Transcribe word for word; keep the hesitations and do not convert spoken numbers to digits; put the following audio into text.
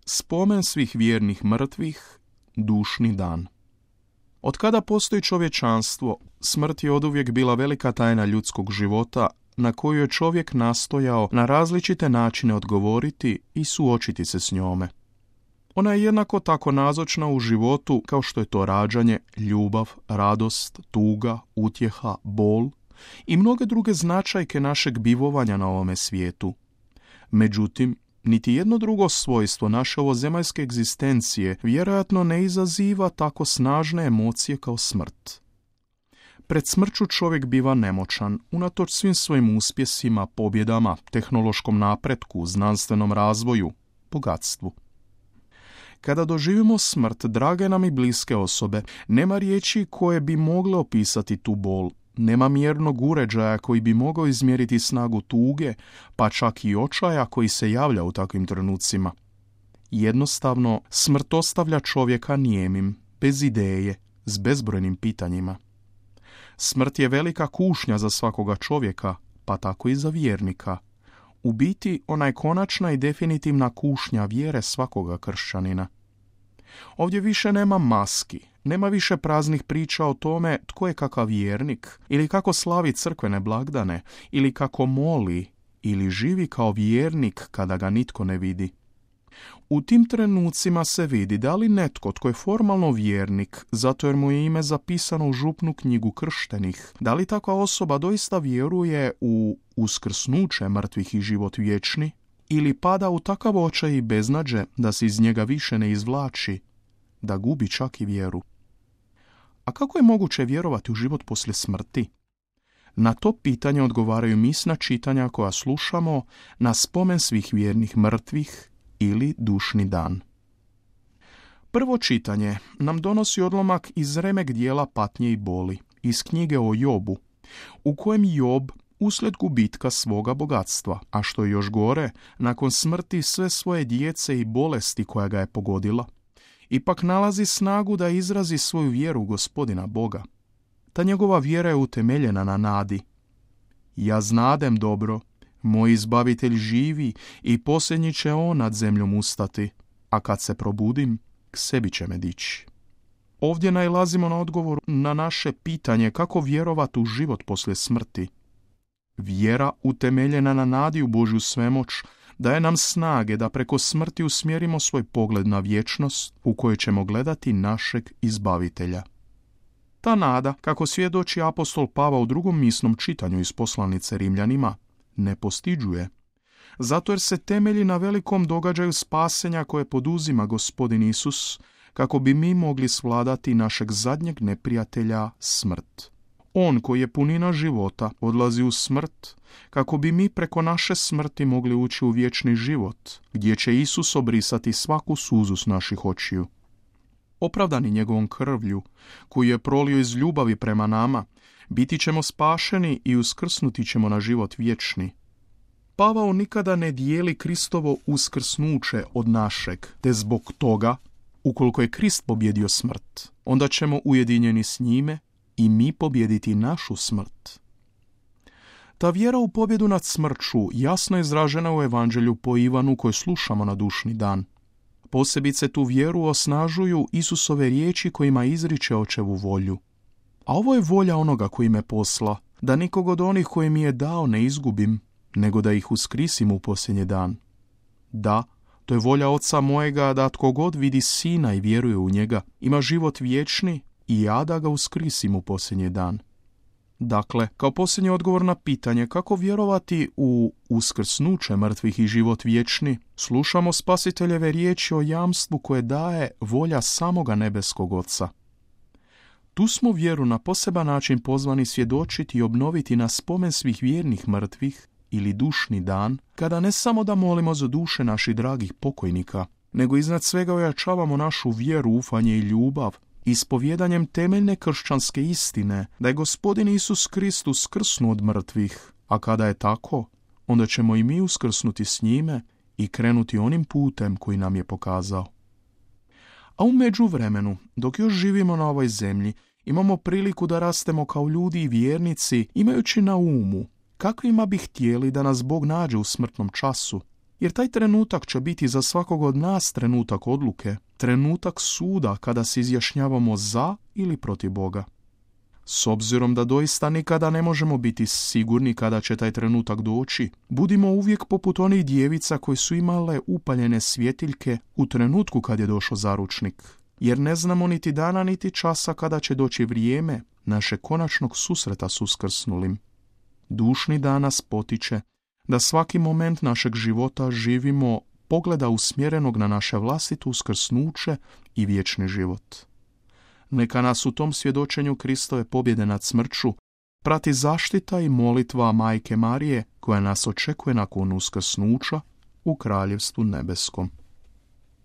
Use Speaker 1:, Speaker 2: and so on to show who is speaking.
Speaker 1: Spomen svih vjernih mrtvih, dušni dan. Od kada postoji čovječanstvo, smrt je oduvijek bila velika tajna ljudskog života na koju je čovjek nastojao na različite načine odgovoriti i suočiti se s njome. Ona je jednako tako nazočna u životu kao što je to rađanje, ljubav, radost, tuga, utjeha, bol i mnoge druge značajke našeg bivovanja na ovome svijetu. Međutim, niti jedno drugo svojstvo naše ovozemaljske egzistencije vjerojatno ne izaziva tako snažne emocije kao smrt. Pred smrću čovjek biva nemoćan, unatoč svim svojim uspjesima, pobjedama, tehnološkom napretku, znanstvenom razvoju, bogatstvu. Kada doživimo smrt drage nam i bliske osobe, nema riječi koje bi mogle opisati tu bol. Nema mjernog uređaja koji bi mogao izmjeriti snagu tuge, pa čak i očaja koji se javlja u takvim trenucima. Jednostavno, smrt ostavlja čovjeka nijemim, bez ideje, s bezbrojnim pitanjima. Smrt je velika kušnja za svakoga čovjeka, pa tako i za vjernika. U biti, ona je konačna i definitivna kušnja vjere svakoga kršćanina. Ovdje više nema maski, nema više praznih priča o tome tko je kakav vjernik, ili kako slavi crkvene blagdane, ili kako moli, ili živi kao vjernik kada ga nitko ne vidi. U tim trenucima se vidi da li netko tko je formalno vjernik, zato jer mu je ime zapisano u župnu knjigu krštenih, da li takva osoba doista vjeruje u uskrsnuće mrtvih i život vječni, ili pada u takav očaj i beznađe da se iz njega više ne izvlači, da gubi čak i vjeru. A kako je moguće vjerovati u život poslije smrti? Na to pitanje odgovaraju misna čitanja koja slušamo na spomen svih vjernih mrtvih ili dušni dan. Prvo čitanje nam donosi odlomak iz remek dijela Patnje i boli, iz knjige o Jobu, u kojem Job uslijed gubitka svoga bogatstva, a što je još gore, nakon smrti sve svoje djece i bolesti koja ga je pogodila, ipak nalazi snagu da izrazi svoju vjeru u Gospodina Boga. Ta njegova vjera je utemeljena na nadi. Ja znadem dobro, moj izbavitelj živi i posljednji će on nad zemljom ustati, a kad se probudim, k sebi će me dići. Ovdje nailazimo na odgovor na naše pitanje kako vjerovati u život poslije smrti. Vjera utemeljena na nadi u Božju svemoć daje nam snage da preko smrti usmjerimo svoj pogled na vječnost u kojoj ćemo gledati našeg izbavitelja. Ta nada, kako svjedoči apostol Pavao u drugom misnom čitanju iz poslanice Rimljanima, ne postiđuje, zato jer se temelji na velikom događaju spasenja koje poduzima Gospodin Isus, kako bi mi mogli svladati našeg zadnjeg neprijatelja, smrt. On koji je punina života odlazi u smrt, kako bi mi preko naše smrti mogli ući u vječni život, gdje će Isus obrisati svaku suzu s naših očiju. Opravdani njegovom krvlju, koju je prolio iz ljubavi prema nama, biti ćemo spašeni i uskrsnuti ćemo na život vječni. Pavao nikada ne dijeli Kristovo uskrsnuće od našeg, te zbog toga, ukoliko je Krist pobjedio smrt, onda ćemo ujedinjeni s njime i mi pobjediti našu smrt. Ta vjera u pobjedu nad smrću jasno je izražena u Evanđelju po Ivanu koje slušamo na dušni dan. Posebice tu vjeru osnažuju Isusove riječi kojima izriče očevu volju. A ovo je volja onoga koji me posla, da nikog od onih koji mi je dao ne izgubim, nego da ih uskrisim u posljednji dan. Da, to je volja Oca mojega da tko god vidi Sina i vjeruje u njega, ima život vječni i ja da ga uskrisim u posljednji dan. Dakle, kao posljednji odgovor na pitanje kako vjerovati u uskrsnuće mrtvih i život vječni, slušamo Spasiteljeve riječi o jamstvu koje daje volja samoga nebeskog Oca. Tu smo vjeru na poseban način pozvani svjedočiti i obnoviti na spomen svih vjernih mrtvih ili dušni dan, kada ne samo da molimo za duše naših dragih pokojnika, nego iznad svega ojačavamo našu vjeru, ufanje i ljubav, ispovjedanjem temeljne kršćanske istine da je Gospodin Isus Kristus uskrsnuo od mrtvih, a kada je tako, onda ćemo i mi uskrsnuti s njime i krenuti onim putem koji nam je pokazao. A u međuvremenu, dok još živimo na ovoj zemlji, imamo priliku da rastemo kao ljudi i vjernici, imajući na umu kakvima bi htjeli da nas Bog nađe u smrtnom času, Jer taj trenutak će biti za svakog od nas trenutak odluke, trenutak suda kada se izjašnjavamo za ili protiv Boga. S obzirom da doista nikada ne možemo biti sigurni kada će taj trenutak doći, budimo uvijek poput onih djevica koje su imale upaljene svjetiljke u trenutku kad je došao zaručnik, jer ne znamo niti dana niti časa kada će doći vrijeme našeg konačnog susreta s uskrsnulim. Dušni dan nas potiče da svaki moment našeg života živimo pogleda usmjerenog na naše vlastito uskrsnuće i vječni život. Neka nas u tom svjedočenju Kristove pobjede nad smrću prati zaštita i molitva Majke Marije koja nas očekuje nakon uskrsnuća u Kraljevstvu nebeskom.